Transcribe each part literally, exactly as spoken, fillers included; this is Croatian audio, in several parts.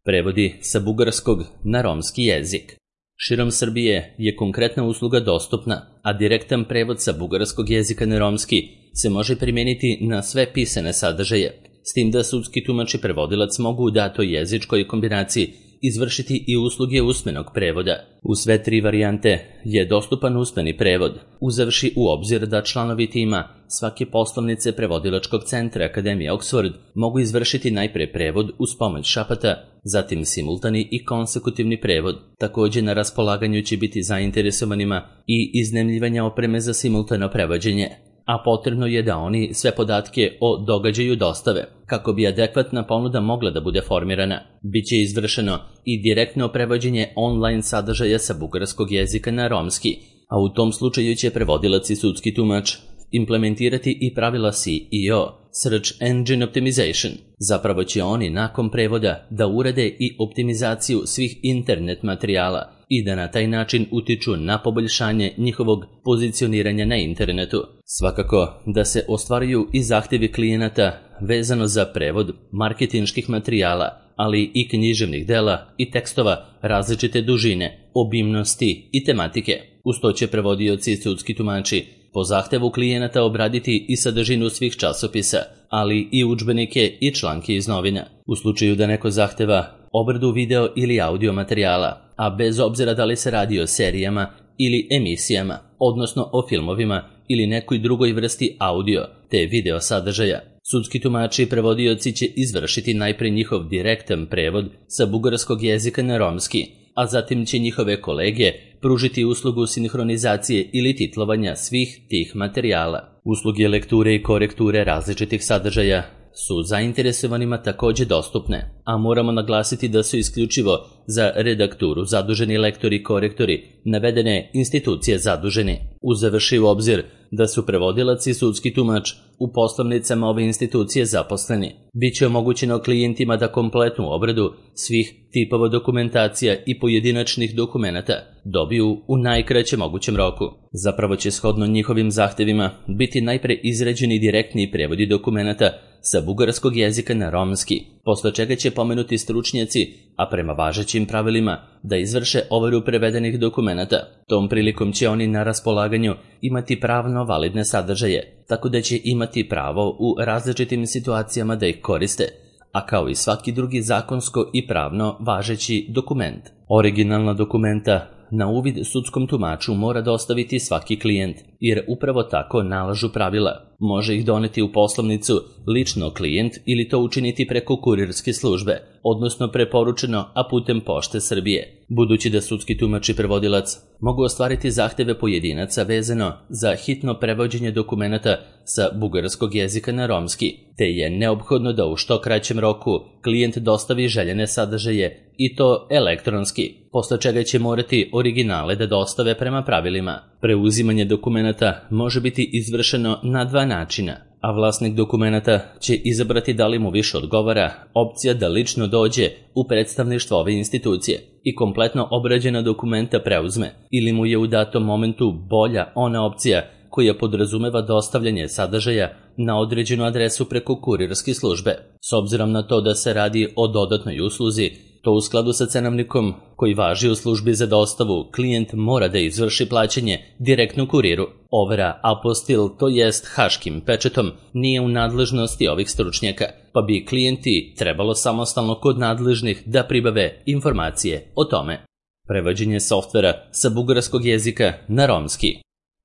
Prevodi sa bugarskog na romski jezik. Širom Srbije je konkretna usluga dostupna, a direktan prevod sa bugarskog jezika na romski se može primijeniti na sve pisane sadržaje, s tim da sudski tumač i prevodilac mogu u datoj jezičkoj kombinaciji izvršiti i usluge usmenog prevoda. U sve tri varijante je dostupan usmeni prevod, uzevši u obzir da članovi tima svake poslovnice prevodilačkog centra Akademije Oxford mogu izvršiti najpre prevod uz pomoć šapata, zatim simultani i konsekutivni prevod. Također na raspolaganju će biti zainteresovanima i iznajmljivanja opreme za simultano prevođenje, a potrebno je da oni sve podatke o događaju dostave, kako bi adekvatna ponuda mogla da bude formirana. Biće izvršeno i direktno prevođenje online sadržaja sa bugarskog jezika na romski, a u tom slučaju će prevodilac i sudski tumač implementirati i pravila S E O, Search Engine Optimization. Zapravo će oni nakon prevoda da urede i optimizaciju svih internet materijala i da na taj način utiču na poboljšanje njihovog pozicioniranja na internetu. Svakako da se ostvaruju i zahtjevi klijenata vezano za prevod marketinških materijala, ali i književnih dela i tekstova različite dužine, obimnosti i tematike. Uz to će prevodioci i sudski tumači po zahtevu klijenata obraditi i sadržinu svih časopisa, ali i udžbenike i članke iz novina. U slučaju da neko zahteva obradu video ili audio materijala, a bez obzira da li se radi o serijama ili emisijama, odnosno o filmovima ili nekoj drugoj vrsti audio te video sadržaja, sudski tumači i prevodioci će izvršiti najpre njihov direktan prevod sa bugarskog jezika na romski, a zatim će njihove kolege pružiti uslugu sinhronizacije ili titlovanja svih tih materijala. Usluge lekture i korekture različitih sadržaja su zainteresovanima također dostupne, a moramo naglasiti da su isključivo za redakturu zaduženi lektori i korektori navedene institucije zaduženi. Uzevši u obzir da su prevodilac i sudski tumač u poslovnicama ove institucije zaposleni, bit će omogućeno klijentima da kompletnu obradu svih tipova dokumentacija i pojedinačnih dokumenata dobiju u najkraćem mogućem roku. Zapravo će shodno njihovim zahtjevima biti najpre izrađeni direktni prevodi dokumenata sa bugarskog jezika na romski, posle čega će pomenuti stručnjaci, a prema važećim pravilima, da izvrše overu prevedenih dokumenata. Tom prilikom će oni na raspolaganju imati pravno validne sadržaje, tako da će imati pravo u različitim situacijama da ih koriste, a kao i svaki drugi zakonsko i pravno važeći dokument. Originalna dokumenta na uvid sudskom tumaču mora dostaviti svaki klijent, jer upravo tako nalažu pravila. Može ih doneti u poslovnicu lično klijent ili to učiniti preko kurirske službe, odnosno preporučeno, a putem Pošte Srbije. Budući da sudski tumač i prevodilac mogu ostvariti zahtjeve pojedinaca vezano za hitno prevođenje dokumenata sa bugarskog jezika na romski, te je neophodno da u što kraćem roku klijent dostavi željene sadržaje i to elektronski, posle čega će morati originale da dostave prema pravilima. Preuzimanje dokumenata može biti izvršeno na dva načina, a vlasnik dokumenata će izabrati da li mu više odgovara opcija da lično dođe u predstavništvo ove institucije i kompletno obrađena dokumenta preuzme, ili mu je u datom momentu bolja ona opcija koja podrazumeva dostavljanje sadržaja na određenu adresu preko kurirske službe. S obzirom na to da se radi o dodatnoj usluzi, to u skladu sa cenovnikom koji važi u službi za dostavu, klijent mora da izvrši plaćanje direktno kuriru. Overa apostil, to jest haškim pečetom, nije u nadležnosti ovih stručnjaka, pa bi klijenti trebalo samostalno kod nadležnih da pribave informacije o tome. Prevođenje softvera sa bugarskog jezika na romski.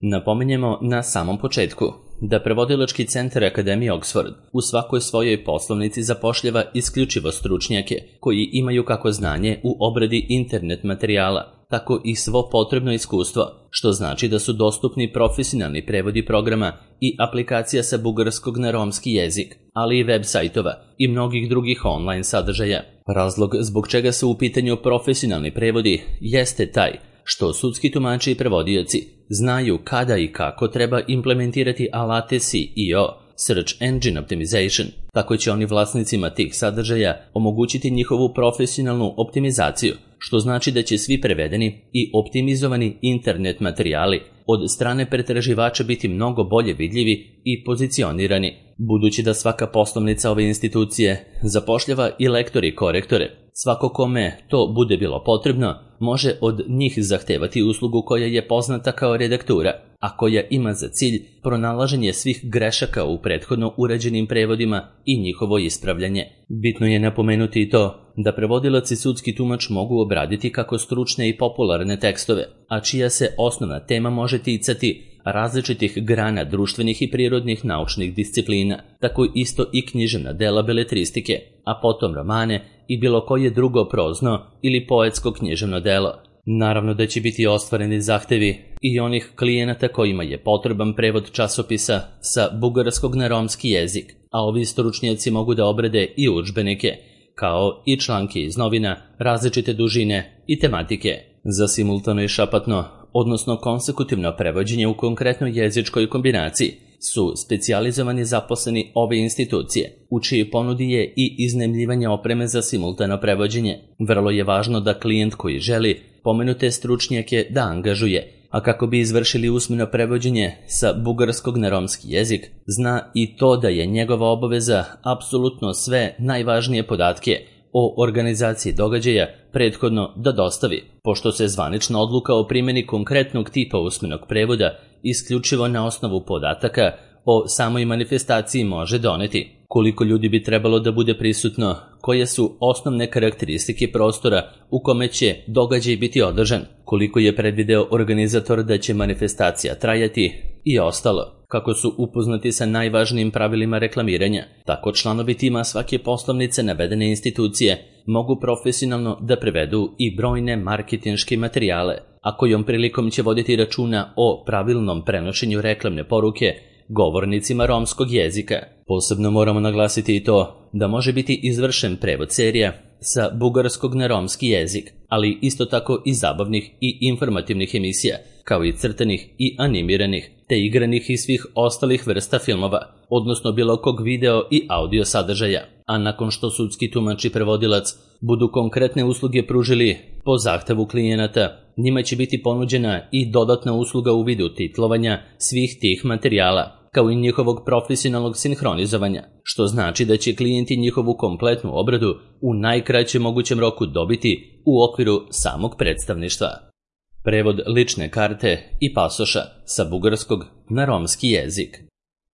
Napominjemo na samom početku da prevodilački centar Akademije Oxford u svakoj svojoj poslovnici zapošljava isključivo stručnjake koji imaju kako znanje u obradi internet materijala, tako i svo potrebno iskustvo, što znači da su dostupni profesionalni prevodi programa i aplikacija sa bugarskog na romski jezik, ali i web sajtova i mnogih drugih online sadržaja. Razlog zbog čega su u pitanju profesionalni prevodi jeste taj što sudski tumači i prevodioci znaju kada i kako treba implementirati alate S E O, Search Engine Optimization. Tako će oni vlasnicima tih sadržaja omogućiti njihovu profesionalnu optimizaciju, što znači da će svi prevedeni i optimizovani internet materijali od strane pretraživača biti mnogo bolje vidljivi i pozicionirani. Budući da svaka poslovnica ove institucije zapošljava i lektori i korektore, Svako kome to bude bilo potrebno, može od njih zahtevati uslugu koja je poznata kao redaktura, a koja ima za cilj pronalaženje svih grešaka u prethodno urađenim prevodima i njihovo ispravljanje. Bitno je napomenuti i to da prevodilac i sudski tumač mogu obraditi kako stručne i popularne tekstove, a čija se osnovna tema može ticati različitih grana društvenih i prirodnih naučnih disciplina, tako isto i književna dela beletristike, a potom romane i bilo koje drugo prozno ili poetsko književno delo. Naravno da će biti ostvareni zahtevi i onih klijenata kojima je potreban prevod časopisa sa bugarskog na romski jezik, a ovi stručnjaci mogu da obrade i udžbenike, kao i članke iz novina, različite dužine i tematike. Za simultano i šapatno, odnosno konsekutivno prevođenje u konkretnoj jezičkoj kombinaciji, su specijalizovani zaposleni ove institucije, u čiji ponudi je i iznajmljivanje opreme za simultano prevođenje. Vrlo je važno da klijent koji želi pomenute stručnjake da angažuje, a kako bi izvršili usmeno prevođenje sa bugarskog na romski jezik, zna i to da je njegova obaveza apsolutno sve najvažnije podatke o organizaciji događaja prethodno da dostavi, pošto se zvanična odluka o primjeni konkretnog tipa usmenog prevoda isključivo na osnovu podataka o samoj manifestaciji može doneti. Koliko ljudi bi trebalo da bude prisutno, koje su osnovne karakteristike prostora u kome će događaj biti održan, koliko je predvideo organizator da će manifestacija trajati i ostalo. Kako su upoznati sa najvažnijim pravilima reklamiranja, tako članovi tima svake poslovnice navedene institucije mogu profesionalno da prevedu i brojne marketinške materijale, a kojom prilikom će voditi računa o pravilnom prenošenju reklamne poruke govornicima romskog jezika. Posebno moramo naglasiti i to da može biti izvršen prevod serija sa bugarskog na romski jezik, ali isto tako i zabavnih i informativnih emisija, kao i crtanih i animiranih, te igranih i svih ostalih vrsta filmova, odnosno bilo kog video i audio sadržaja. A nakon što sudski tumač i prevodilac budu konkretne usluge pružili po zahtevu klijenata, njima će biti ponuđena i dodatna usluga u vidu titlovanja svih tih materijala, kao i njihovog profesionalnog sinhronizovanja, što znači da će klijenti njihovu kompletnu obradu u najkraćem mogućem roku dobiti u okviru samog predstavništva. Prevod lične karte i pasoša sa bugarskog na romski jezik.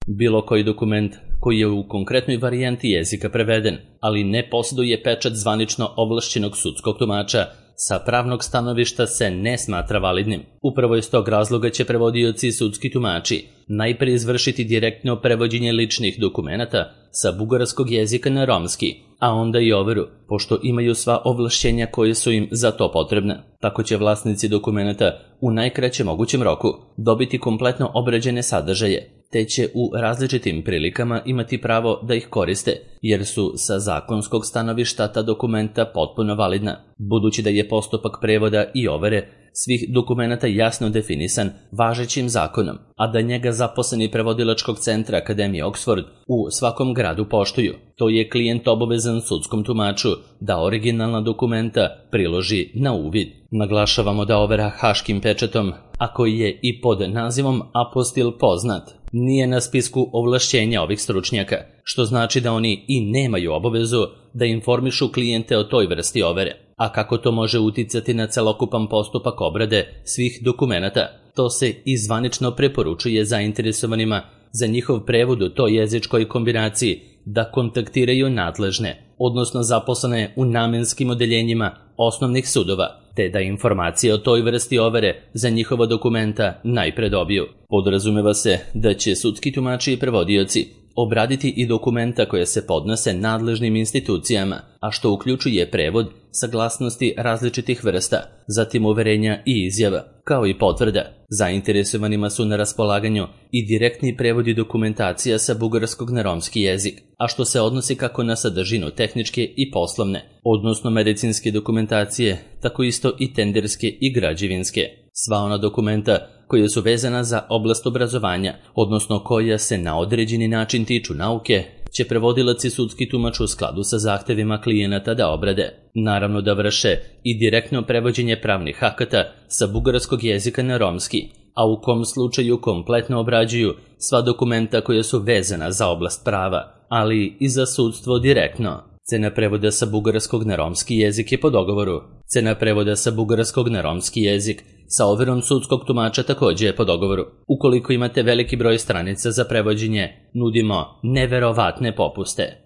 Bilo koji dokument koji je u konkretnoj varijanti jezika preveden, ali ne posjeduje pečat zvanično ovlašćenog sudskog tumača, sa pravnog stanovišta se ne smatra validnim. Upravo iz tog razloga će prevodioci i sudski tumači najprije izvršiti direktno prevođenje ličnih dokumenata sa bugarskog jezika na romski, a onda i overu, pošto imaju sva ovlašćenja koje su im za to potrebna. Tako će vlasnici dokumenata u najkraćem mogućem roku dobiti kompletno obrađene sadržaje, te će u različitim prilikama imati pravo da ih koriste, jer su sa zakonskog stanovišta ta dokumenta potpuno validna. Budući da je postupak prevoda i overe svih dokumenata jasno definisan važećim zakonom, a da njega zaposleni prevodilačkog centra Akademije Oxford u svakom gradu poštuju, to je klijent obavezan sudskom tumaču da originalna dokumenta priloži na uvid. Naglašavamo da overa haškim pečatom, a koji je i pod nazivom apostil poznat, nije na spisku ovlašćenja ovih stručnjaka, što znači da oni i nemaju obavezu da informišu klijente o toj vrsti overe. A kako to može uticati na celokupan postupak obrade svih dokumenata, to se i zvanično preporučuje zainteresovanima za njihov prevod u toj jezičkoj kombinaciji da kontaktiraju nadležne, odnosno zaposlene u namenskim odeljenjima osnovnih sudova, te da informacije o toj vrsti overe za njihova dokumenta najpre dobiju. Podrazumeva se da će sudski tumači i prevodioci obraditi i dokumenta koje se podnose nadležnim institucijama, a što uključuje prevod, saglasnosti različitih vrsta, zatim uverenja i izjava, kao i potvrda. Zainteresovanima su na raspolaganju i direktni prevodi dokumentacija sa bugarskog na romski jezik, a što se odnosi kako na sadržinu tehničke i poslovne, odnosno medicinske dokumentacije, tako isto i tenderske i građevinske. Sva ona dokumenta koja su vezana za oblast obrazovanja, odnosno koja se na određeni način tiču nauke, će prevodilac i sudski tumač u skladu sa zahtevima klijenata da obrade. Naravno da vrše i direktno prevođenje pravnih akata sa bugarskog jezika na romski, a u kom slučaju kompletno obrađuju sva dokumenta koja su vezana za oblast prava, ali i za sudstvo direktno. Cena prevoda sa bugarskog na romski jezik je po dogovoru. Cena prevoda sa bugarskog na romski jezik sa overom sudskog tumača takođe je po dogovoru. Ukoliko imate veliki broj stranica za prevođenje, nudimo neverovatne popuste.